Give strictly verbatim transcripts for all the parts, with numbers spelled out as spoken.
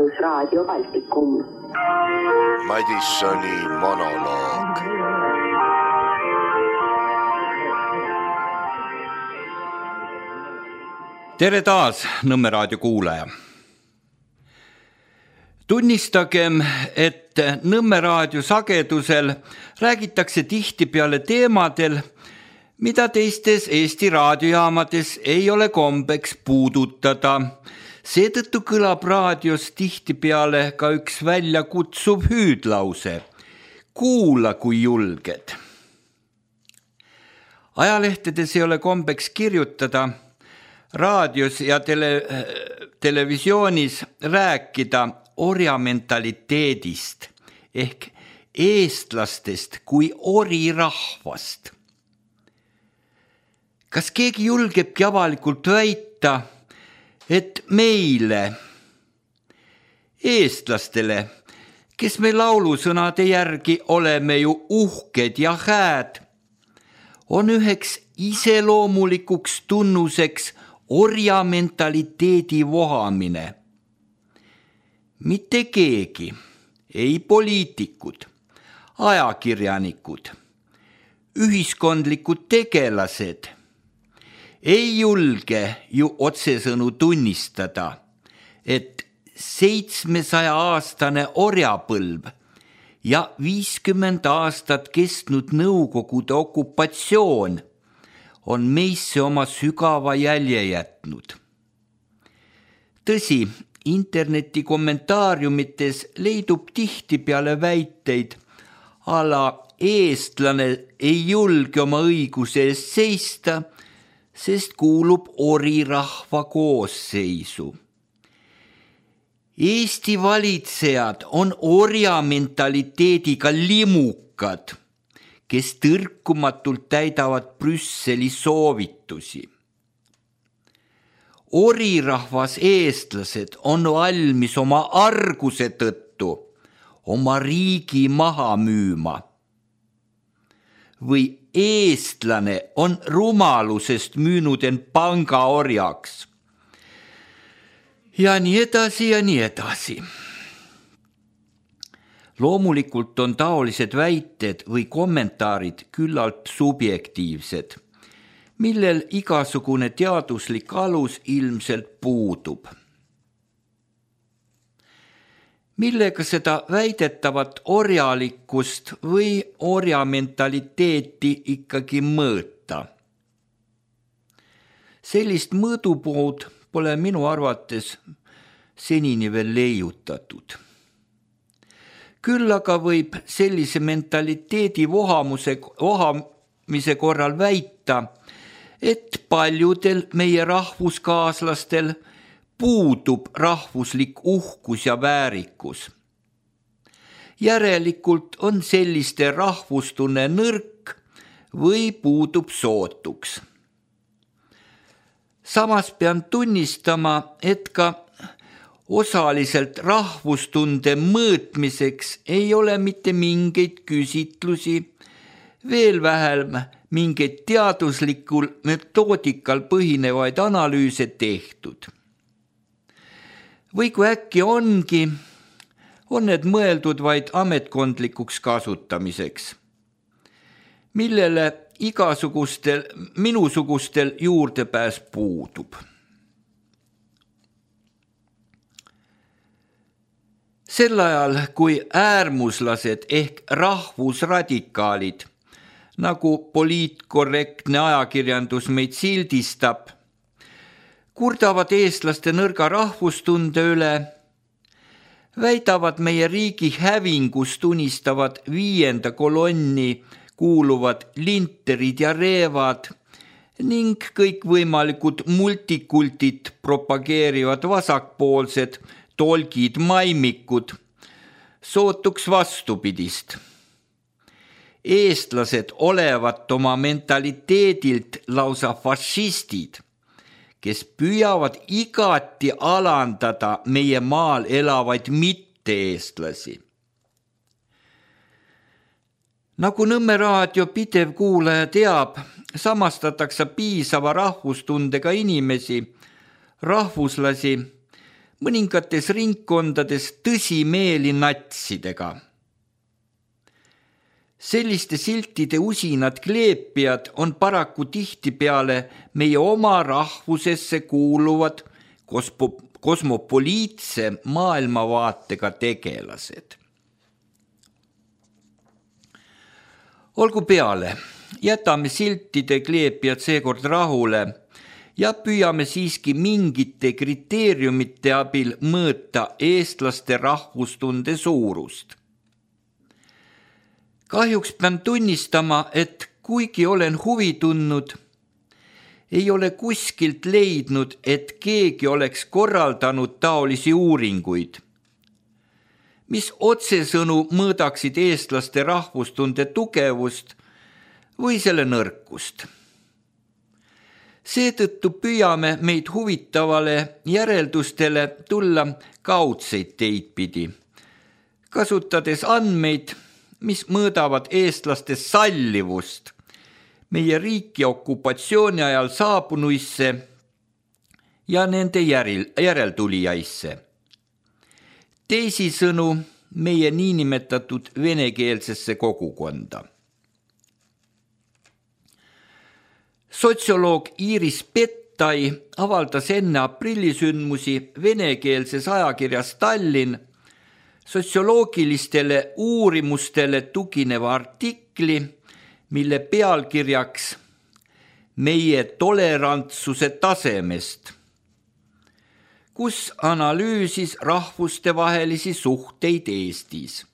Rahvusraadio Baltikum. Madissoni monoloog. Tere taas, Nõmme raadio kuulaja. Tunnistagem, et Nõmme raadio sagedusel räägitakse tihtipeale teemadel, mida teistes Eesti raadiojaamades ei ole kombeks puudutada. Seetõttu kõlab raadios tihtipeale ka üks väljakutsuv hüüdlause. Kuula, kui julged. Ajalehtedes ei ole kombeks kirjutada, raadios ja tele, televisioonis rääkida orjamentaliteedist ehk eestlastest kui orirahvast. Kas keegi julgebki avalikult väita, et meile, eestlastele, kes me laulusõnade järgi oleme ju uhked ja hääd, on üheks iseloomulikuks tunnuseks orjamentaliteedi vohamine. Mitte keegi, ei poliitikud, ajakirjanikud, ühiskondlikud tegelased ei julge ju otsesõnu tunnistada, et seitsmesaja aastane orjapõlv ja viiskümmend aastat kestnud Nõukogude okupatsioon on meisse oma sügava jälje jätnud. Tõsi, interneti kommentaariumites leidub tihtipeale väiteid, ala eestlane ei julge oma õiguse eest seista, sest kuulub orirahva koosseisu. Eesti valitsejad on orjamentaliteediga limukad, kes tõrkumatult täidavad Brüsseli soovitusi. Orirahvas eestlased on valmis oma arguse tõttu oma riigi maha müüma. Või eestlane on rumalusest müünud end pangaorjaks. Ja nii edasi ja nii edasi. Loomulikult on taolised väited või kommentaarid küllalt subjektiivsed, millel igasugune teaduslik alus ilmselt puudub. Millega seda väidetavat orjalikkust või orjamentaliteeti ikkagi mõõta? Sellist mõõdupuud pole minu arvates senini veel leiutatud. Küll aga võib sellise mentaliteedi vohamuse, vohamise korral väita, et paljudel meie rahvuskaaslastel puudub rahvuslik uhkus ja väärikus. Järelikult on selliste rahvustunne nõrk või puudub sootuks. Samas pean tunnistama, et ka osaliselt rahvustunde mõõtmiseks ei ole mitte mingeid küsitlusi, veel vähem mingeid teaduslikul metoodikal põhinevaid analüüse tehtud. Või kui äkki ongi, on need mõeldud vaid ametkondlikuks kasutamiseks, millele igasugustel, minusugustel juurdepääs puudub. Sel ajal, kui äärmuslased ehk rahvusradikaalid, nagu poliitkorrektne ajakirjandus meid sildistab, kurdavad eestlaste nõrga rahvustunde üle, väidavad meie riigi hävingust unistavad viienda kolonni kuuluvad linterid ja reevad ning kõikvõimalikud multikultit propageerivad vasakpoolsed tolgid maimikud, sootuks vastupidist. Eestlased olevat oma mentaliteedilt lausa fašistid, kes püüavad igati alandada meie maal elavaid mitte-eestlasi. Nagu Nõmme raadio pidev kuulaja teab, samastatakse piisava rahvustundega inimesi, rahvuslasi, mõningates ringkondades tõsimeeli natsidega. Selliste siltide usinad kleepijad on paraku tihtipeale meie oma rahvusesse kuuluvad kosmo, kosmopoliitse maailmavaatega tegelased. Olgu peale, jätame siltide kleepijad seekord rahule ja püüame siiski mingite kriteeriumite abil mõõta eestlaste rahvustunde suurust. Kahjuks pean tunnistama, et kuigi olen huvi tundnud, ei ole kuskilt leidnud, et keegi oleks korraldanud taolisi uuringuid, mis otsesõnu mõõdaksid eestlaste rahvustunde tugevust või selle nõrkust. Seetõttu püüame meid huvitavale järeldustele tulla kaudseid teid pidi, kasutades andmeid, mis mõõdavad eestlaste sallivust meie riiki okupatsiooni ajal saabunuisse ja nende järel, järeltulijaisse. Teisisõnu meie niinimetatud venekeelsesse kogukonda. Sotsioloog Iiris Pettai avaldas enne aprillisündmusi venekeelses ajakirjas Tallinn sotsioloogilistele uurimustele tugineva artikli, mille pealkirjaks meie tolerantsuse tasemest, kus analüüsis rahvustevahelisi suhteid Eestis.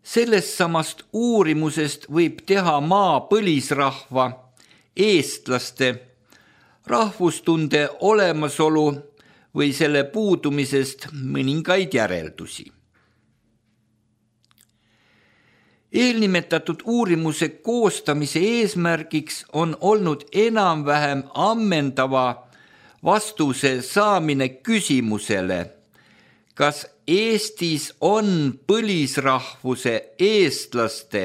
Sellest samast uurimusest võib teha maa põlisrahva, eestlaste, rahvustunde olemasolu või selle puudumisest mõningaid järeldusi. Eelnimetatud uurimuse koostamise eesmärgiks on olnud enam-vähem ammendava vastuse saamine küsimusele, kas Eestis on põlisrahvuse eestlaste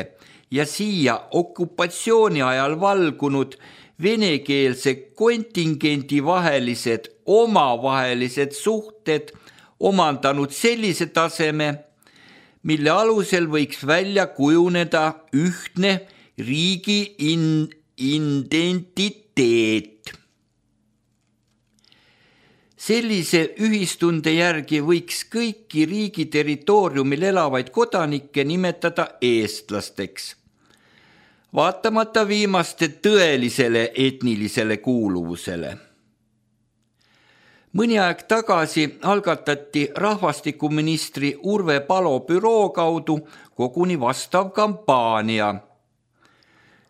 ja siia okupatsiooni ajal valgunud venekeelse kontingendi vahelised omavahelised suhted omandanud sellise taseme, mille alusel võiks välja kujuneda ühtne riigi in- identiteet. Sellise ühistunde järgi võiks kõiki riigi territooriumil elavaid kodanikke nimetada eestlasteks, vaatamata viimaste tõelisele etnilisele kuuluvusele. Mõni aeg tagasi algatati rahvastikuministri Urve Palo büroo kaudu koguni vastav kampaania,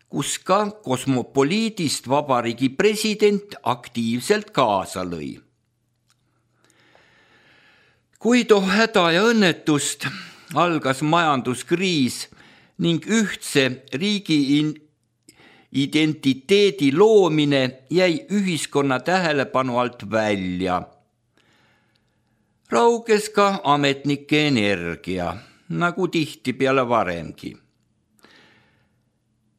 kus ka kosmopoliidist vabariigi president aktiivselt kaasa lõi. Kuid oh häda ja õnnetust algas majanduskriis ning ühtse riigi identiteedi loomine jäi ühiskonna tähelepanu alt välja. Rauges ka ametnike energia, nagu tihtipeale varemgi.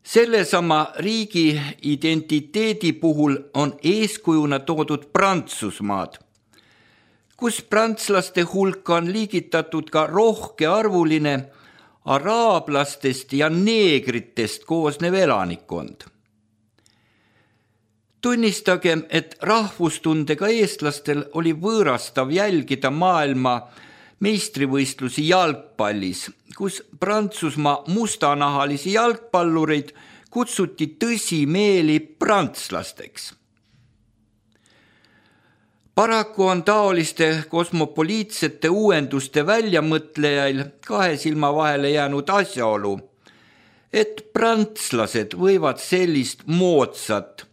Sellesama riigi identiteedi puhul on eeskujuna toodud Prantsusmaad, kus prantslaste hulka on liigitatud ka rohkearvuline araablastest ja neegritest koosnev elanikkond. Tunnistagem, et rahvustundega eestlastel oli võõrastav jälgida maailma meistrivõistlusi jalgpallis, kus Prantsusmaa mustanahalisi jalgpallureid kutsuti tõsimeeli prantslasteks. Paraku on taoliste kosmopoliitsete uuenduste väljamõtlejail kahe silma vahele jäänud asjaolu, et prantslased võivad sellist moodsat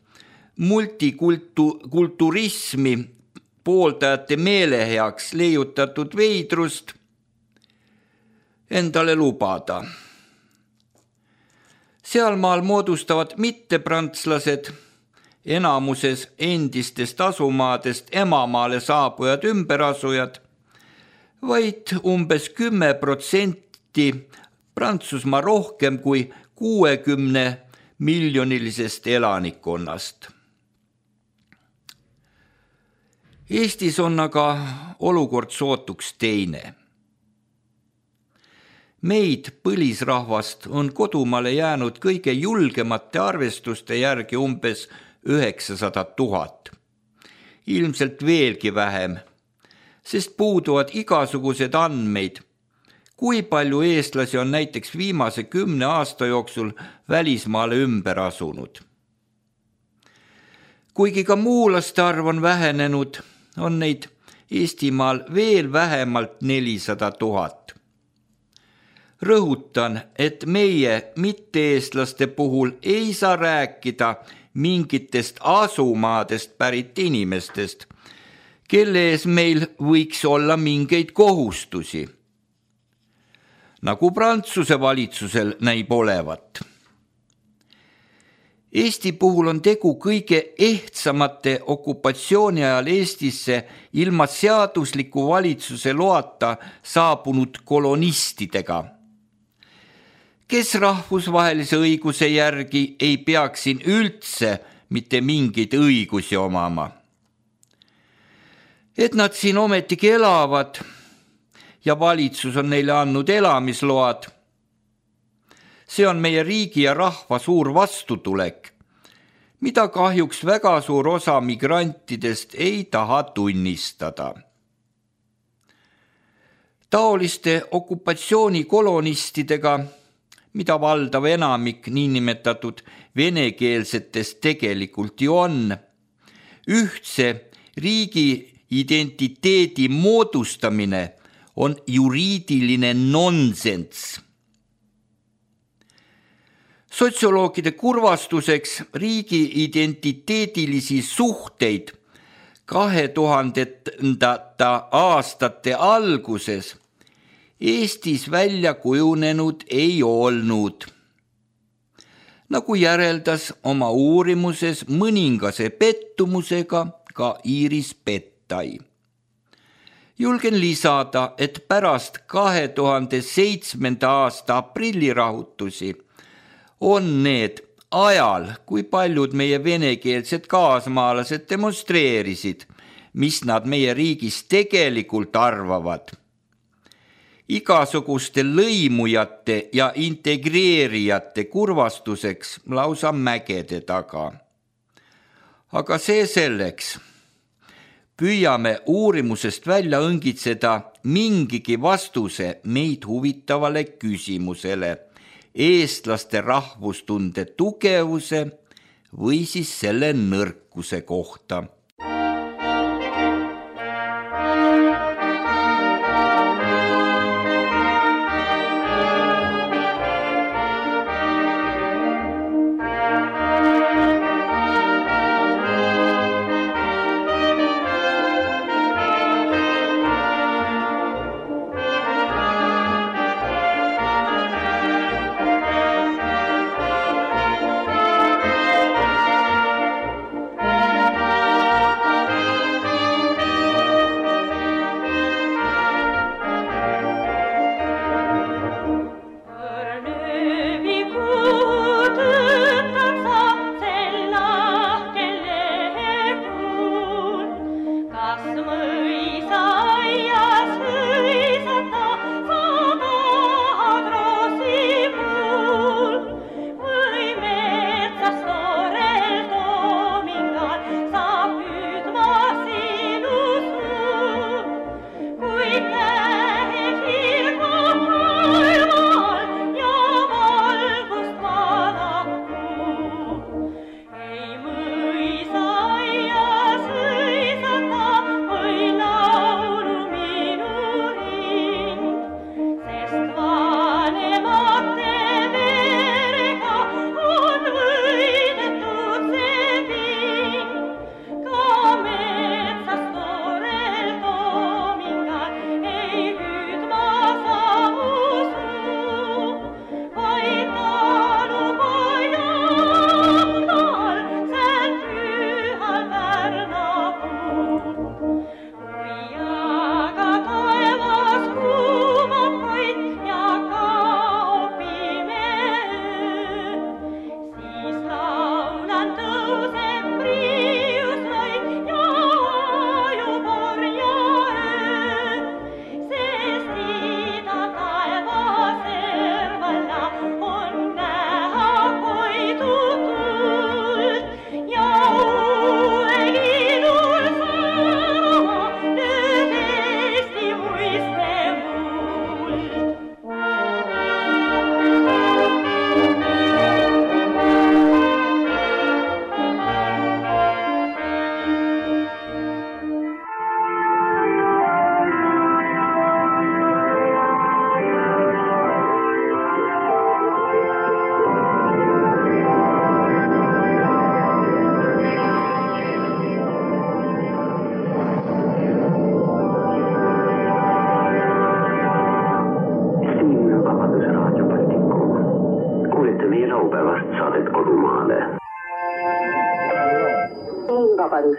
multikulturismi pooldajate meeleheaks leiutatud veidrust endale lubada. Sealmaal moodustavad mitteprantslased, enamuses endistest asumaadest emamaale saabujad ümberasujad, vaid umbes kümme protsenti Prantsusmaa rohkem kui kuuekümne miljonilisest elanikkonnast. Eestis on aga olukord sootuks teine. Meid, põlisrahvast, on kodumaale jäänud kõige julgemate arvestuste järgi umbes üheksasada tuhat. Ilmselt veelgi vähem, sest puuduvad igasugused andmeid, kui palju eestlasi on näiteks viimase kümne aasta jooksul välismaale ümber asunud. Kuigi ka muulaste arv on vähenenud, on neid Eestimaal veel vähemalt nelisada tuhat. Rõhutan, et meie mitte-eestlaste puhul ei saa rääkida mingitest asumaadest pärit inimestest, kelle ees meil võiks olla mingeid kohustusi, nagu Prantsuse valitsusel näib olevat. Eesti puhul on tegu kõige ehtsamate okupatsiooni ajal Eestisse ilma seadusliku valitsuse loata saabunud kolonistidega, kes rahvusvahelise õiguse järgi ei peaks siin üldse mitte mingeid õigusi omama. Et nad siin ometigi elavad ja valitsus on neile andnud elamisload, see on meie riigi ja rahva suur vastutulek, mida kahjuks väga suur osa migrantidest ei taha tunnistada. Taoliste okupatsioonikolonistidega, mida valdav enamik niinimetatud venekeelsetest tegelikult ju on, ühtse riigi identiteedi moodustamine on juriidiline nonsenss. Sotsioloogide kurvastuseks riigi identiteedilisi suhteid kahe tuhandendate aastate alguses Eestis välja kujunenud ei olnud. Nagu järeldas oma uurimuses mõningase pettumusega ka Iiris Pettai. Julgen lisada, et pärast kahe tuhande seitsmenda aasta aprillirahutusi on need ajal, kui paljud meie venekeelsed kaasmaalased demonstreerisid, mis nad meie riigis tegelikult arvavad. Igasuguste lõimujate ja integreerijate kurvastuseks lausa mägede taga. Aga see selleks. Püüame uurimusest välja õngitseda mingigi vastuse meid huvitavale küsimusele, eestlaste rahvustunde tugevuse või siis selle nõrkuse kohta.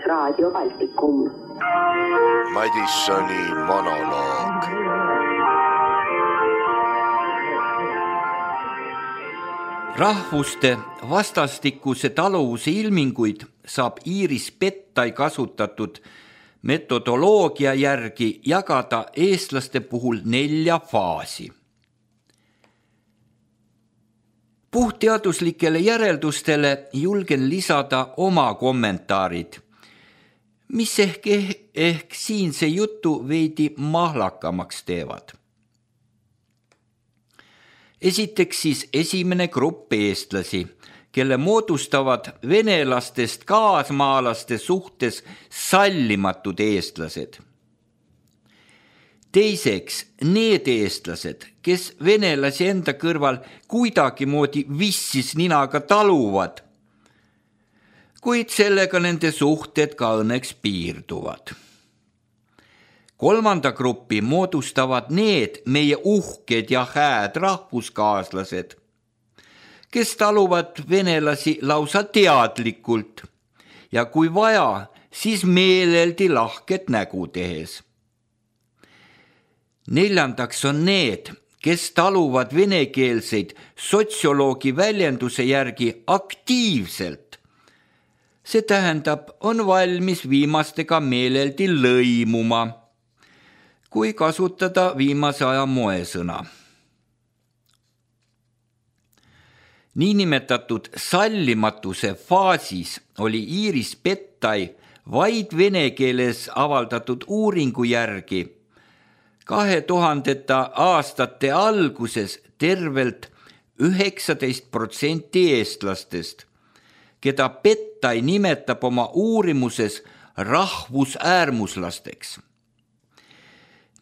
Raadio Baltikum. Madissoni monoloog. Rahvuste vastastikuse taluvuse ilminguid saab Iiris Pettai kasutatud metodoloogia järgi jagada eestlaste puhul nelja faasi. Puhtteaduslikele järeldustele julgen lisada oma kommentaarid, mis ehk, ehk siinse jutu veidi mahlakamaks teevad. Esiteks siis esimene grupp eestlasi, kelle moodustavad venelastest kaasmaalaste suhtes sallimatud eestlased. Teiseks, need eestlased, kes venelasi enda kõrval kuidagimoodi vissis ninaga taluvad, kuid sellega nende suhted ka õnneks piirduvad. Kolmanda gruppi moodustavad need meie uhked ja hääd rahvuskaaslased, kes taluvad venelasi lausa teadlikult ja kui vaja, siis meeleldi lahket nägu tehes. Neljandaks on need, kes taluvad venekeelseid sotsioloogi väljenduse järgi aktiivselt. See tähendab, on valmis viimastega meeleldi lõimuma, kui kasutada viimase aja moesõna. Niinimetatud sallimatuse faasis oli Iiris Pettai vaid vene keeles avaldatud uuringu järgi kahe tuhandete aastate alguses tervelt üheksateist protsenti eestlastest, keda Pettai nimetab oma uurimuses rahvusäärmuslasteks.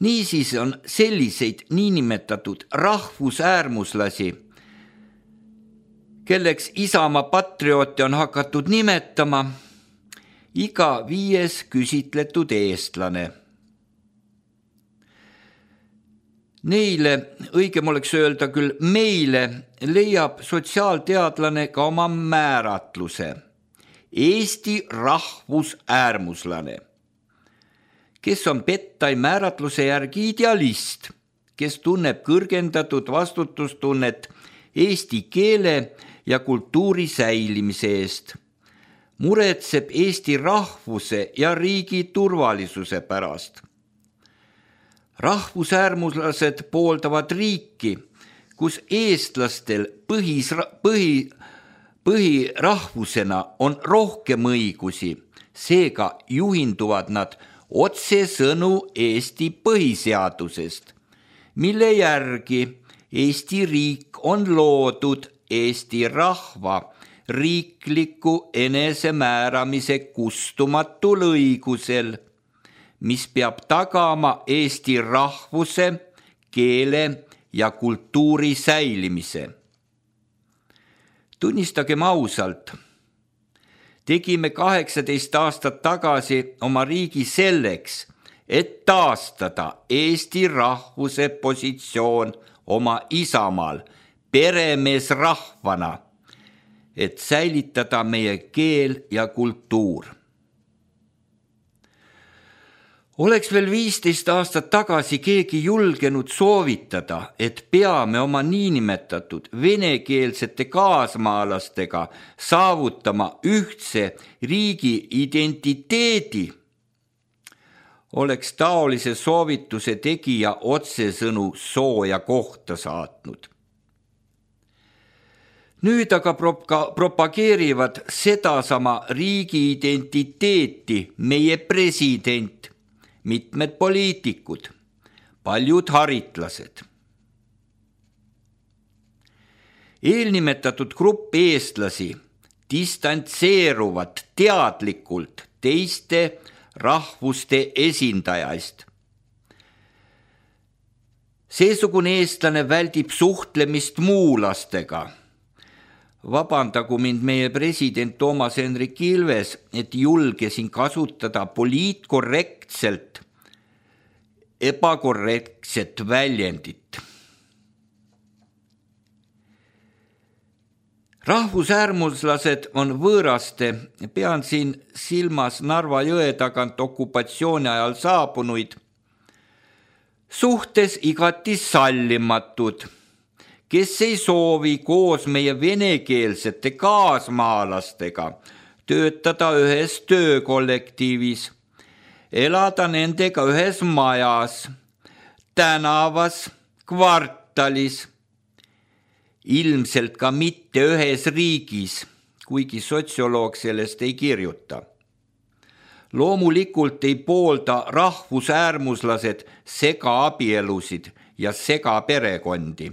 Niisiis on selliseid niinimetatud rahvusäärmuslasi, kelleks Isamaa patrioote on hakatud nimetama, iga viies küsitletud eestlane. Neile, õigem oleks öelda küll meile, leiab sotsiaalteadlane ka oma määratluse. Eesti rahvusäärmuslane, kes on Pettai määratluse järgi idealist, kes tunneb kõrgendatud vastutustunnet eesti keele ja kultuuri säilimise eest, muretseb Eesti rahvuse ja riigi turvalisuse pärast. Rahvusäärmuslased pooldavad riiki, kus eestlastel põhis, põhi, põhirahvusena on rohkem õigusi, seega juhinduvad nad otsesõnu Eesti põhiseadusest, mille järgi Eesti riik on loodud Eesti rahva riikliku enesemääramise kustumatul õigusel, mis peab tagama Eesti rahvuse, keele ja kultuuri säilimise. Tunnistagem ausalt, tegime kaheksateist aastat tagasi oma riigi selleks, et taastada Eesti rahvuse positsioon oma isamaal, peremees rahvana, et säilitada meie keel ja kultuur. Oleks veel viisteist aastat tagasi keegi julgenud soovitada, et peame oma niinimetatud venekeelsete kaasmaalastega saavutama ühtse riigi identiteedi, oleks taolise soovituse tegija otsesõnu sooja kohta saatnud. Nüüd aga propageerivad sedasama riigi identiteeti meie president, mitmed poliitikud, paljud haritlased. Eelnimetatud grupp eestlasi distantseeruvad teadlikult teiste rahvuste esindajaist. Seesugune eestlane väldib suhtlemist muulastega. Vabandagu mind meie president Toomas Hendrik Ilves, et julgesin kasutada poliitkorrektselt ebakorrektset väljendit. Rahvusäärmuslased on võõraste, pean siin silmas Narva jõe tagant okupatsiooni ajal saabunuid, suhtes igati sallimatud, kes ei soovi koos meie venekeelsete kaasmaalastega töötada ühes töökollektiivis, elada nendega ühes majas, tänavas, kvartalis, ilmselt ka mitte ühes riigis, kuigi sotsioloog sellest ei kirjuta. Loomulikult ei poolda rahvusäärmuslased segaabielusid ja segaperekondi.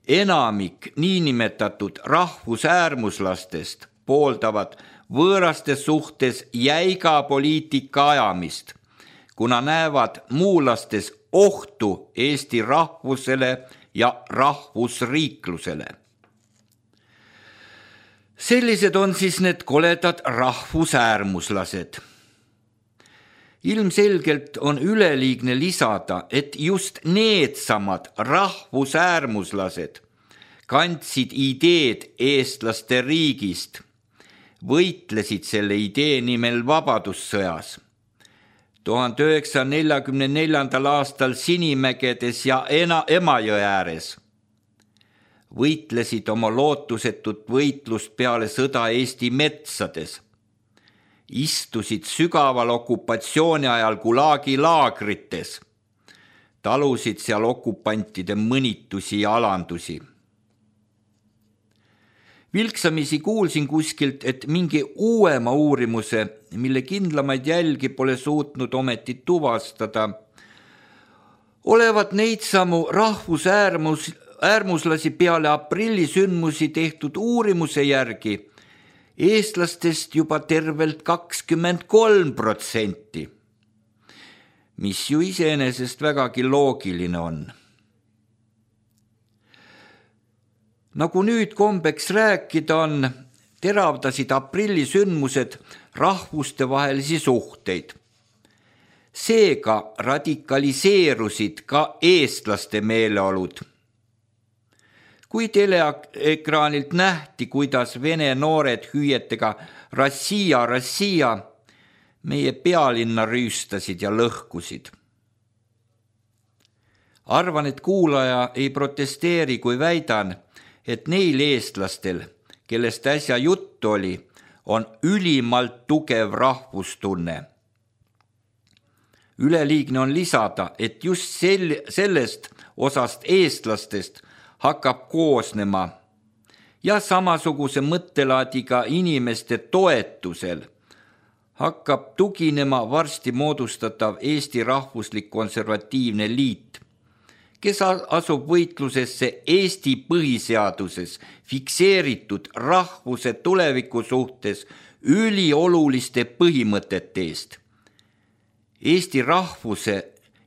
Enamik niinimetatud rahvusäärmuslastest pooldavad võõraste suhtes jäiga poliitika ajamist, kuna näevad muulastes ohtu Eesti rahvusele ja rahvusriiklusele. Sellised on siis need koledad rahvusäärmuslased. Ilmselgelt on üleliigne lisada, et just needsamad rahvusäärmuslased kandsid ideed eestlaste riigist, võitlesid selle idee nimel vabadussõjas. tuhande üheksasaja neljakümne neljandal aastal Sinimägedes ja Emajõe ääres võitlesid oma lootusetut võitlust peale sõda Eesti metsades, istusid sügaval okupatsiooni ajal Gulagi laagrites, talusid seal okupantide mõnitusi ja alandusi. Vilksamisi kuulsin kuskilt, et mingi uuema uurimuse, mille kindlamaid jälgi pole suutnud ometi tuvastada, olevat neid samu rahvusäärmus, äärmuslasi peale aprillisündmusi tehtud uurimuse järgi eestlastest juba tervelt kakskümmend kolm protsenti, mis ju iseenesest vägagi loogiline on. Nagu nüüd kombeks rääkida on, teravdasid aprillisündmused rahvuste vahelisi suhteid. Seega radikaliseerusid ka eestlaste meeleolud. Kui teleekraanilt nähti, kuidas vene noored hüüetega Rassia, Rassia meie pealinna rüüstasid ja lõhkusid. Arvan, et kuulaja ei protesteeri, kui väidan, et neil eestlastel, kellest äsja jutt oli, on ülimalt tugev rahvustunne. Üleliigne on lisada, et just sel- sellest osast eestlastest hakkab koosnema ja samasuguse mõttelaadiga inimeste toetusel hakkab tuginema varsti moodustatav Eesti Rahvuslik Konservatiivne Liit, kes asub võitlusesse Eesti põhiseaduses fikseeritud rahvuse tuleviku suhtes ülioluliste põhimõtete eest, Eesti rahvuse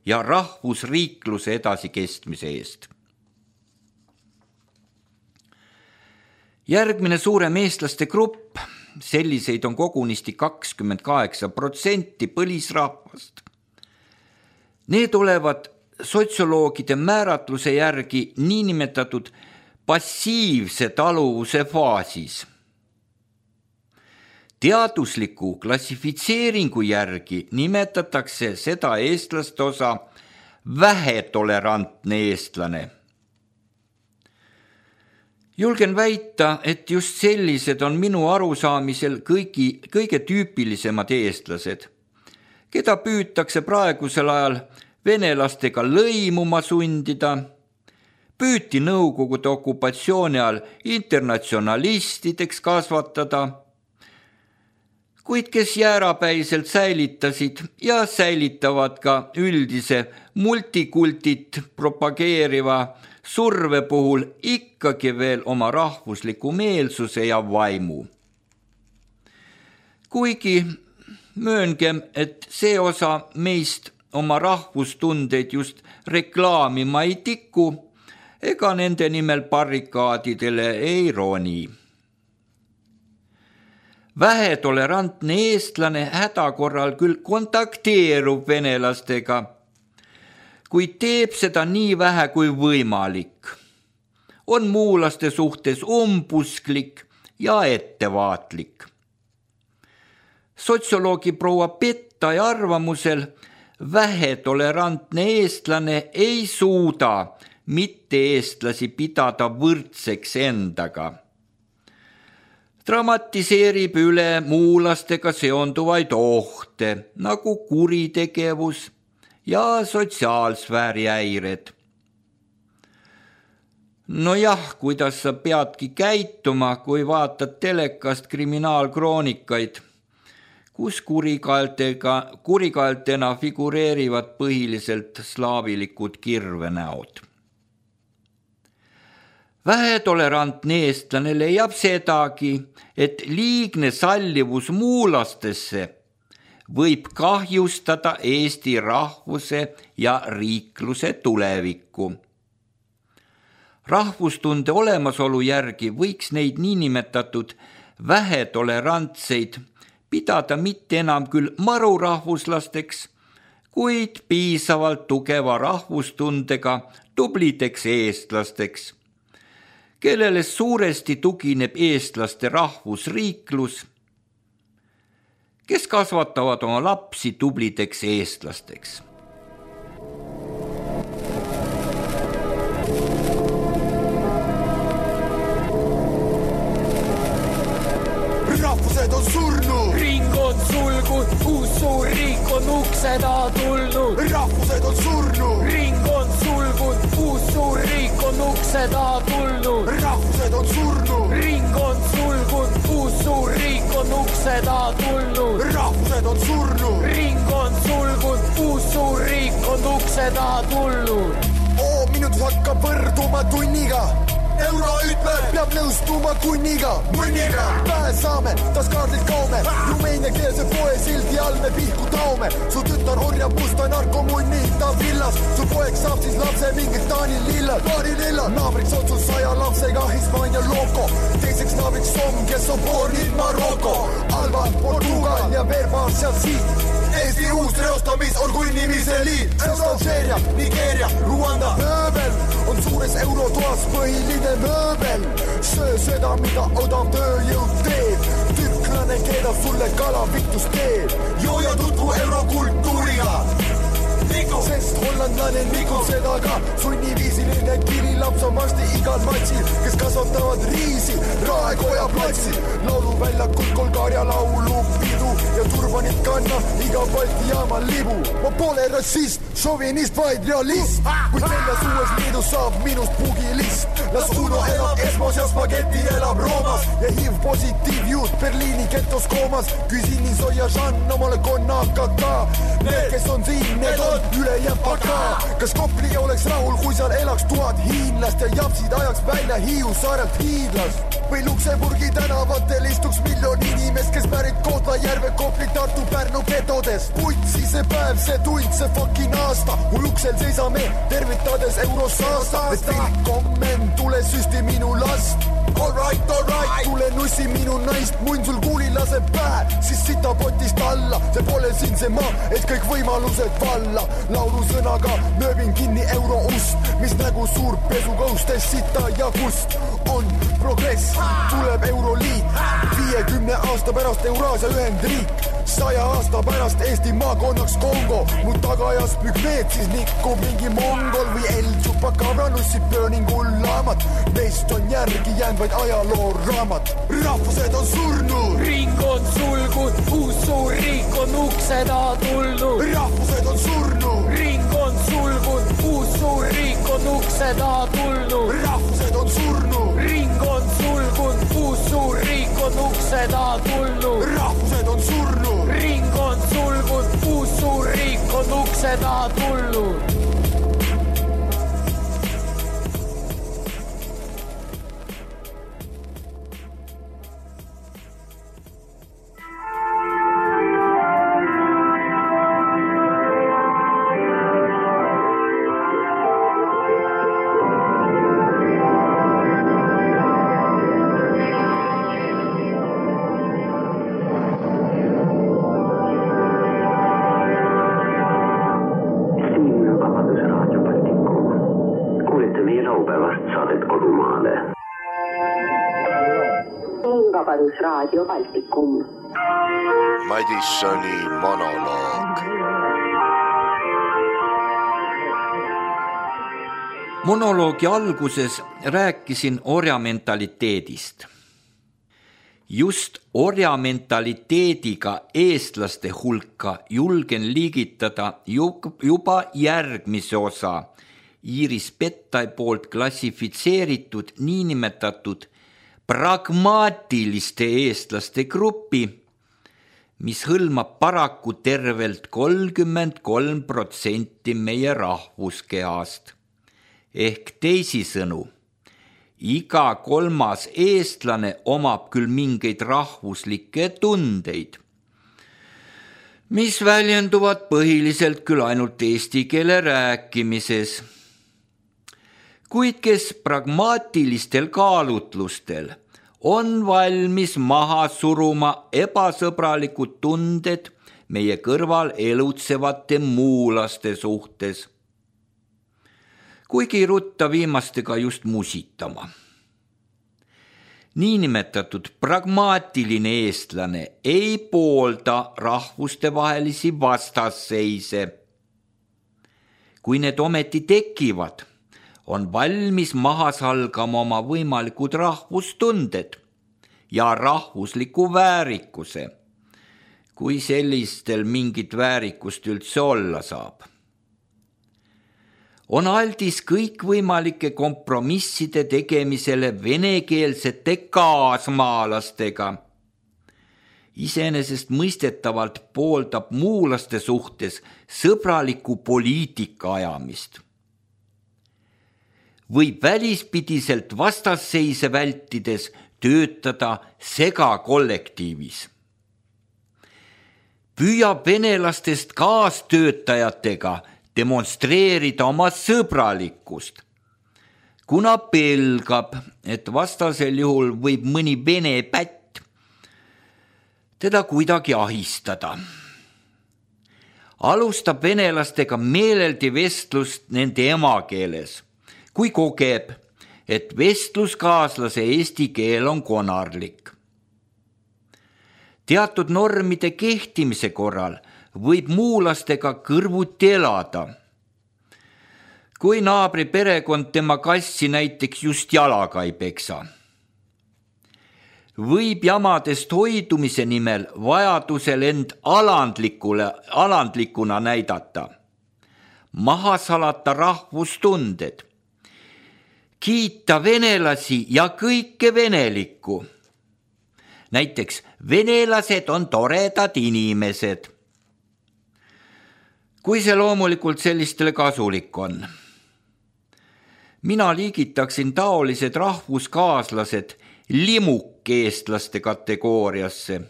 ja rahvusriikluse edasikestmise eest. Järgmine suurem eestlaste grupp, selliseid on kogunisti kakskümmend kaheksa protsenti põlisrahvast. Need olevat sotsioloogide määratluse järgi niinimetatud passiivse taluvuse faasis. Teadusliku klassifitseeringu järgi nimetatakse seda eestlaste osa vähetolerantne eestlane. Julgen väita, et just sellised on minu arusaamisel kõigi, kõige tüüpilisemad eestlased, keda püütakse praegusel ajal venelastega lõimuma sundida, püüti Nõukogude okupatsiooni ajal internatsionalistideks kasvatada, kuid kes jäärapäiselt säilitasid ja säilitavad ka üldise multikultit propageeriva surve puhul ikkagi veel oma rahvusliku meelsuse ja vaimu. Kuigi mööngem, et see osa meist oma rahvustundeid just reklaamima ei tiku, ega nende nimel barrikaadidele ei roni. Vähetolerantne eestlane hädakorral küll kontakteerub venelastega, kuid teeb seda nii vähe kui võimalik. On muulaste suhtes umbusklik ja ettevaatlik. Sotsioloogi proua Pettai arvamusel vähetolerantne eestlane ei suuda mitte eestlasi pidada võrdseks endaga. Dramatiseerib üle muulastega seonduvaid ohte, nagu kuritegevus ja sotsiaalsfääri häired. No jah, kuidas sa peadki käituma, kui vaatad telekast kriminaalkroonikaid, kus kurikaeltega, kurikaeltena figureerivad põhiliselt slaavilikud kirvenäod. Vähetolerantne eestlane leiab sedagi, et liigne sallivus muulastesse võib kahjustada Eesti rahvuse ja riikluse tulevikku. Rahvustunde olemasolu järgi võiks neid niinimetatud vähetolerantseid pidada mitte enam küll marurahvuslasteks, kuid piisavalt tugeva rahvustundega tublideks eestlasteks, kellele suuresti tugineb eestlaste rahvusriiklus, kes kasvatavad oma lapsi tublideks eestlasteks. Rahvused on surnud, ring on sulgud, uus suur riik on ukse taha tulnud. Rahvused on surnud, ring on sulgud, uus suur riik on ukse taha tulnud. Rahvused on surnud, ring on sulgud, uus suur riik on ukse taha tulnud. Rahvused on surnud, ring on sulgud, uus suur riik on ukse taha tulnud. oo minutus hakkab võrduma tunniga. Euro ütleb, peab nõustuma kunniga. Munniga pähe saame, tas kaardilt kaume. Rumeenia keelse poe sildi all me pihku taome. Su tütar orjab musta narkomunni ta villas. Su poeg saab siis lapse mingit Taani lillad. Paari lillad, naabriks otsus saja lapsega Hispaania loko. Teiseks naabriks Somm, kes on bornid Maroko. Alba, Portugal ja Verbaar sealt siit. Eesti uus reostamis on kui nimise liit. Algeeria, Nigeeria, Ruanda. Mööbel on suures eurotoas põhiline mööbel. Söö seda, mida odav tööjõud teeb. Türklane keedab sulle kalavitus teeb. Joo ja tutvu eurokultuuriga. Sest hollandlane nikub seda ka. Sunniviisiline kirilaps on varsti igal matsil, kes kasvatavad riisi Raekoja platsil. Lauluväljakul Kolgaria laulupidu ja turbanit kanna iga Balti jaama libu. Ma pole rassist, šovinist, vaid realist. Kui väljas uues liidus saab minust pugilist. Las Uno elab Esmos ja Spaghetti elab Roomas. Ja H I V positiiv juut Berliini getos koomas. Küsin Soja Jean omale konnaka ka. Need, kes on siin, need on üle jääb aga. Kas Kopli oleks rahul, kui seal elaks tuhat hiinlast ja japsid ajaks välja Hiiu saarelt hiidlast? Või Luksemburgi tänavatel istuks miljon inimest, kes pärit Kohtla-Järve, Kopli, Tartu, Pärnu getodest. Putsi see päev, see tund, see fucking aasta. Mul uksel seisame, tervitades eurosaasta. Et willkommen, tule süsti minu last. All right, all right, tule nussi minu naist. Munn sul kuuli laseb pähe, siis sita potist alla. See pole siin see maa, et kõik võimalused valla. Laulu sõnaga nööbin kinni euro ust, mis nägu suur pesukõustes sita ja kust. On progress, tuleb Euroliit, viiekümne aasta pärast Euraasia ühendriik, saja aasta pärast Eesti maakonnaks Kongo. Mu tagajas pükmeed siis nikkub mingi mongol või El Chupacabra nussib pööningul laamat. Meist on järgi jäänd vaid ajaloo raamat. Rahvused on surnud, ring on sulgud, uus suur riik on ukse taha tulnud. Rahvused on surnud, ring on sulgud, uus suur riik on ukse taha tulnud. Rahvused on surnud, ring on sulgud, uus suur riik on ukse taha tulnud. Rahvused on surnud. Ring on sulgunud, uus suur riik on ukse taha tulnud. Raadio Baltikum. Madissoni monoloog. Monoloogi alguses rääkisin orjamentaliteedist. Just orjamentaliteediga eestlaste hulka julgen liigitada juba järgmise osa Iiris Pettai poolt klassifitseeritud niinimetatud pragmaatiliste eestlaste gruppi, mis hõlmab paraku tervelt kolmkümmend kolm protsenti meie rahvuskehast. Ehk teisisõnu, iga kolmas eestlane omab küll mingeid rahvuslikke tundeid, mis väljenduvad põhiliselt küll ainult eesti keele rääkimises, kuid kes pragmaatilistel kaalutlustel on valmis maha suruma ebasõbralikud tunded meie kõrval elutsevate muulaste suhtes, kuigi ei rutta viimastega just musitama. Niinimetatud pragmaatiline eestlane ei poolda rahvustevahelisi vastasseise. Kui need ometi tekivad, on valmis maha salgama oma võimalikud rahvustunded ja rahvusliku väärikuse, kui sellistel mingit väärikust üldse olla saab. On aldis kõikvõimalike kompromisside tegemisele venekeelsete kaasmaalastega. Iseenesest mõistetavalt pooldab muulaste suhtes sõbraliku poliitika ajamist. Võib välispidiselt vastasseise vältides töötada segakollektiivis. Püüab venelastest kaastöötajatega demonstreerida oma sõbralikkust, kuna pelgab, et vastasel juhul võib mõni vene pätt teda kuidagi ahistada. Alustab venelastega meeleldi vestlust nende emakeeles, kui kogeb, et vestluskaaslase eesti keel on konarlik. Teatud normide kehtimise korral võib muulastega kõrvuti elada. Kui naabri perekond tema kassi näiteks just jalaga ei peksa. Võib jamadest hoidumise nimel vajadusel end alandlikule, alandlikuna näidata. Maha salata rahvustunded. Kiita venelasi ja kõike venelikku. Näiteks venelased on toredad inimesed. Kui see loomulikult sellistele kasulik on. Mina liigitaksin taolised rahvuskaaslased limukeestlaste kategooriasse.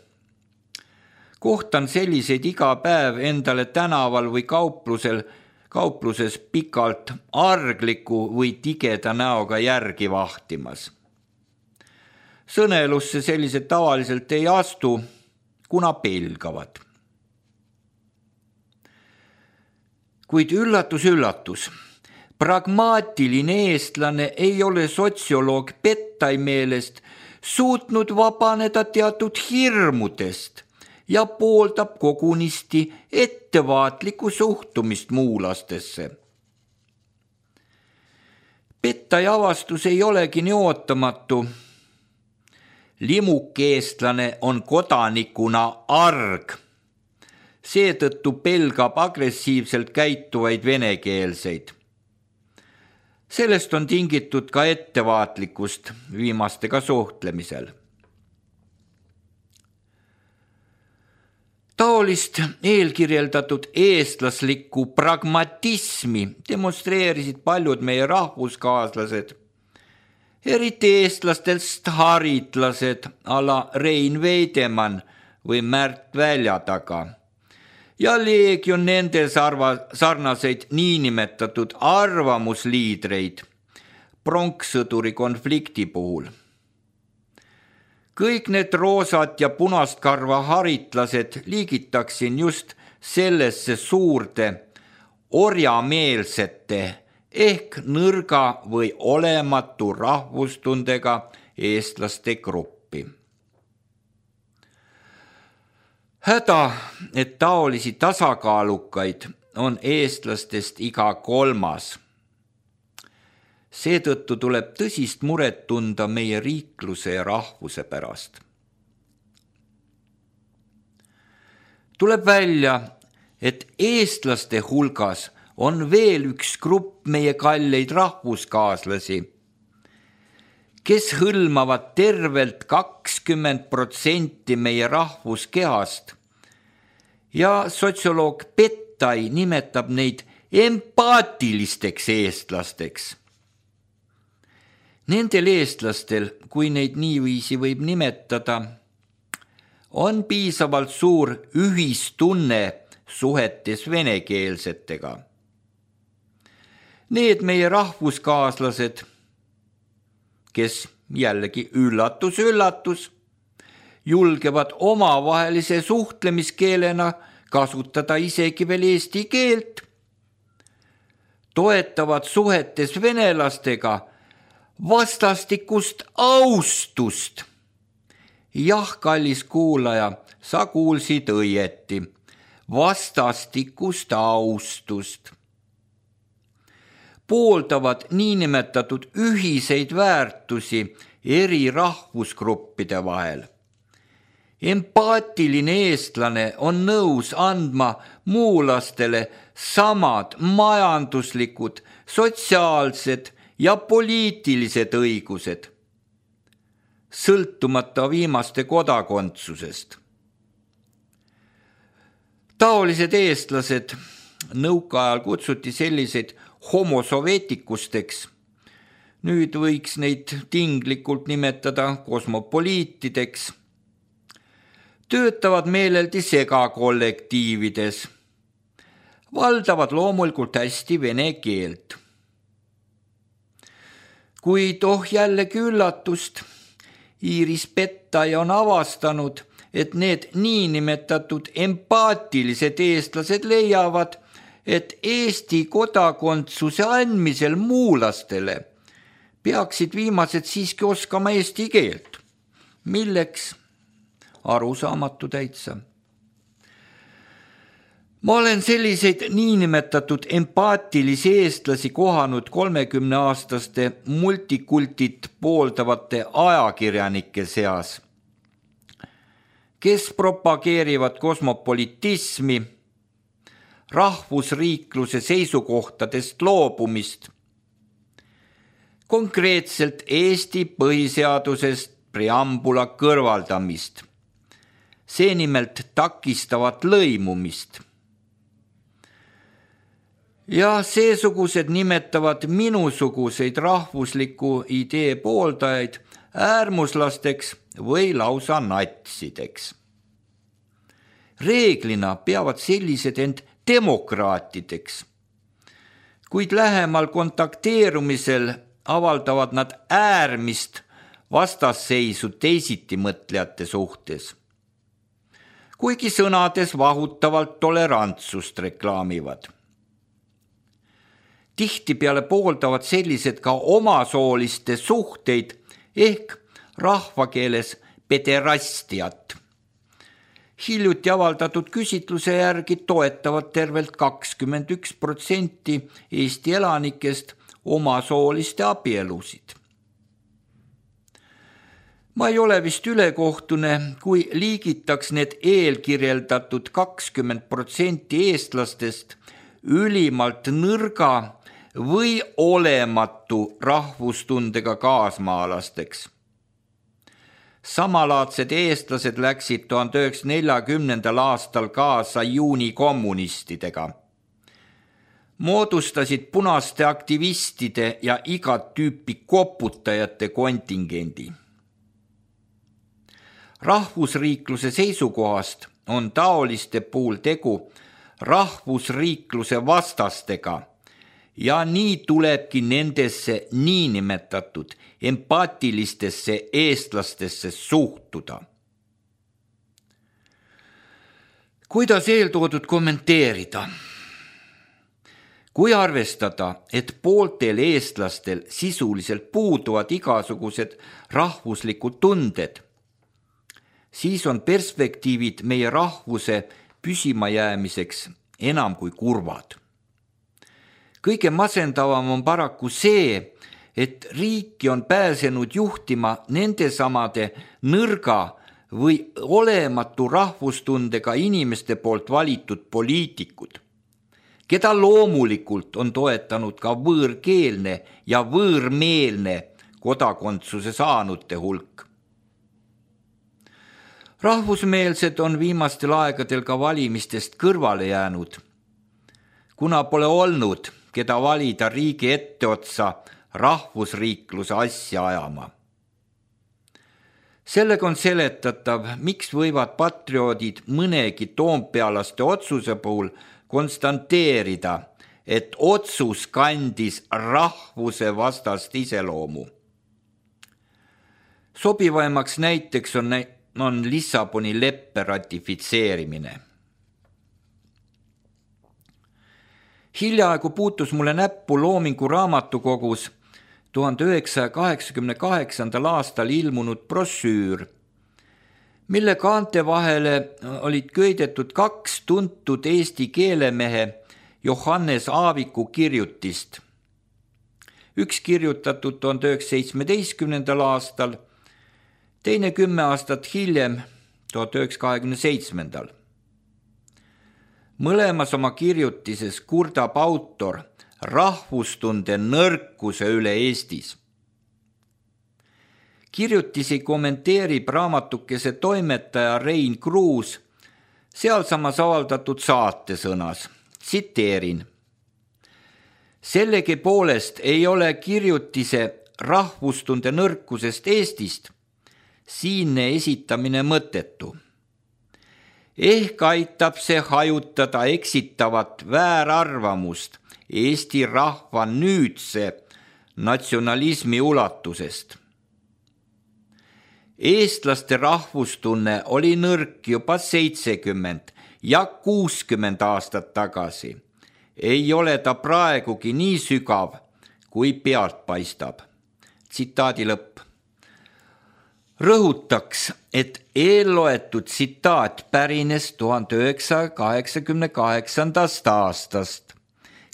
Kohtan selliseid iga päev endale tänaval või kauplusel kaupluses pikalt argliku või tigeda näoga järgi vahtimas. Sõnelusse sellised tavaliselt ei astu, kuna pelgavad. Kuid üllatus, üllatus, pragmaatiline eestlane ei ole sotsioloog Pettai meelest suutnud vabaneda teatud hirmudest ja pooldab kogunisti ettevaatlikku suhtumist muulastesse. Pettai avastus ei olegi nii ootamatu. Limukeestlane on kodanikuna arg. Seetõttu pelgab agressiivselt käituvaid venekeelseid. Sellest on tingitud ka ettevaatlikkust viimastega suhtlemisel. Taolist eelkirjeldatud eestlaslikku pragmatismi demonstreerisid paljud meie rahvuskaaslased, eriti eestlastest haritlased ala Rein Veidemann või Märt Väljataga ja leegion nende sarnaseid niinimetatud arvamusliidreid pronkssõduri konflikti puhul. Kõik need roosat ja punast karva haritlased liigitaksin just sellesse suurde orjameelsete ehk nõrga või olematu rahvustundega eestlaste gruppi. Häda, et taolisi tasakaalukaid on eestlastest iga kolmas. Seetõttu tuleb tõsist muret tunda meie riikluse ja rahvuse pärast. Tuleb välja, et eestlaste hulgas on veel üks grupp meie kalleid rahvuskaaslasi, kes hõlmavad tervelt kakskümmend protsenti meie rahvuskehast ja sotsioloog Pettai nimetab neid empaatilisteks eestlasteks. Nendel eestlastel, kui neid niiviisi võib nimetada, on piisavalt suur ühistunne suhetes venekeelsetega. Need meie rahvuskaaslased, kes jällegi üllatus, üllatus, julgevad omavahelise suhtlemiskeelena kasutada isegi veel eesti keelt, toetavad suhetes venelastega vastastikust austust. Jah, kallis kuulaja, sa kuulsid õieti, vastastikust austust. Pooldavad niinimetatud ühiseid väärtusi eri rahvusgruppide vahel. Empaatiline eestlane on nõus andma muulastele samad majanduslikud, sotsiaalsed ja poliitilised õigused, sõltumata viimaste kodakondsusest. Taolised eestlased nõukaajal kutsuti selliseid homosoveetikusteks. Nüüd võiks neid tinglikult nimetada kosmopoliitideks. Töötavad meeleldi segakollektiivides. Valdavad loomulikult hästi vene keelt. Kuid oh jällegi üllatust, Iiris Pettai on avastanud, et need niinimetatud empaatilised eestlased leiavad, et Eesti kodakondsuse andmisel muulastele peaksid viimased siiski oskama eesti keelt. Milleks? Arusaamatu täitsa. Ma olen selliseid niinimetatud empaatilisi eestlasi kohanud kolmekümneaastaste multikultit pooldavate ajakirjanike seas, kes propageerivad kosmopolitismi, rahvusriikluse seisukohtadest loobumist, konkreetselt Eesti põhiseadusest preambula kõrvaldamist, seemnelt takistavat lõimumist. Ja seesugused nimetavad minusuguseid rahvusliku idee pooldajaid äärmuslasteks või lausa natsideks. Reeglina peavad sellised end demokraatideks, kuid lähemal kontakteerumisel avaldavad nad äärmist vastasseisu teisitimõtlejate suhtes, kuigi sõnades vahutavalt tolerantsust reklaamivad. Tihtipeale pooldavad sellised ka omasooliste suhteid ehk rahvakeeles pederastiat. Hiljuti avaldatud küsitluse järgi toetavad tervelt kakskümmend üks protsenti Eesti elanikest omasooliste abielusid. Ma ei ole vist ülekohtune, kui liigitaks need eelkirjeldatud kakskümmend protsenti eestlastest ülimalt nõrga või olematu rahvustundega kaasmaalasteks. Samalaadsed eestlased läksid tuhande üheksasaja neljakümnendal aastal kaasa juunikommunistidega. Moodustasid punaste aktivistide ja igat tüüpi koputajate kontingendi. Rahvusriikluse seisukohast on taoliste puhul tegu rahvusriikluse vastastega ja nii tulebki nendesse niinimetatud empaatilistesse eestlastesse suhtuda. Kuidas eeltoodud kommenteerida? Kui arvestada, et pooltel eestlastel sisuliselt puuduvad igasugused rahvuslikud tunded, siis on perspektiivid meie rahvuse püsimajäämiseks enam kui kurvad. Kõige masendavam on paraku see, et riiki on pääsenud juhtima nendesamade nõrga või olematu rahvustundega inimeste poolt valitud poliitikud, keda loomulikult on toetanud ka võõrkeelne ja võõrmeelne kodakondsuse saanute hulk. Rahvusmeelsed on viimastel aegadel ka valimistest kõrvale jäänud, kuna pole olnud, keda valida riigi etteotsa rahvusriikluse asja ajama. Sellega on seletatav, miks võivad patrioodid mõnegi toompealaste otsuse puhul konstanteerida, et otsus kandis rahvuse vastast iseloomu. Sobivaimaks näiteks on, on Lissaboni leppe ratifitseerimine. Hiljaaegu puutus mulle näppu Loomingu raamatukogus tuhande üheksasaja kaheksakümne kaheksandal aastal ilmunud brošüür, mille kaante vahele olid köidetud kaks tuntud eesti keelemehe Johannes Aaviku kirjutist. Üks kirjutatud tuhande üheksasaja seitsmeteistkümnendal aastal, teine kümme aastat hiljem, tuhande üheksasaja kahekümne seitsmendal. Mõlemas oma kirjutises kurdab autor rahvustunde nõrkuse üle Eestis. Kirjutisi kommenteerib raamatukese toimetaja Rein Kruus sealsamas avaldatud saatesõnas. Tsiteerin. Sellegi poolest ei ole kirjutise rahvustunde nõrkusest Eestist siinne esitamine mõttetu. Ehk aitab see hajutada eksitavat väärarvamust Eesti rahva nüüdse natsionalismi ulatusest. Eestlaste rahvustunne oli nõrk juba seitsekümmend ja kuuskümmend aastat tagasi. Ei ole ta praegugi nii sügav, kui pealt paistab. Tsitaadi lõpp. Rõhutaks, et eelloetud tsitaat pärines tuhande üheksasaja kaheksakümne kaheksandast aastast,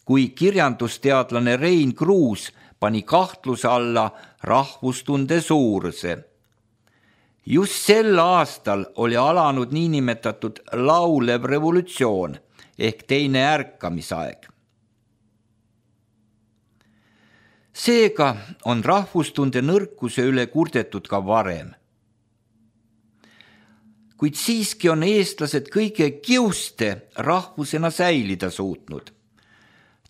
kui kirjandusteadlane Rein Kruus pani kahtluse alla rahvustunde suuruse. Just sel aastal oli alanud niinimetatud laulev revolutsioon ehk teine ärkamisaeg. Seega on rahvustunde nõrkuse üle kurdetud ka varem. Kuid siiski on eestlased kõige kiuste rahvusena säilida suutnud,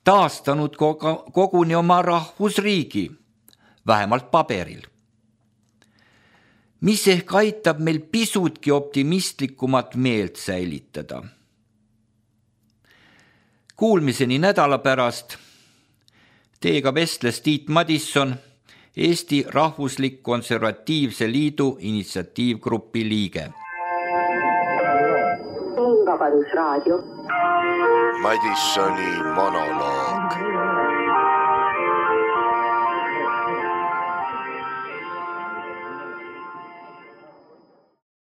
taastanud koguni oma rahvusriigi, vähemalt paberil. Mis ehk aitab meil pisutki optimistlikumat meelt säilitada. Kuulmiseni nädala pärast. Teiega vestles Tiit Madisson, Eesti Rahvuslik Konservatiivse Liidu initsiatiivgrupi liige. Vabadusraadio. Madissoni monoloog.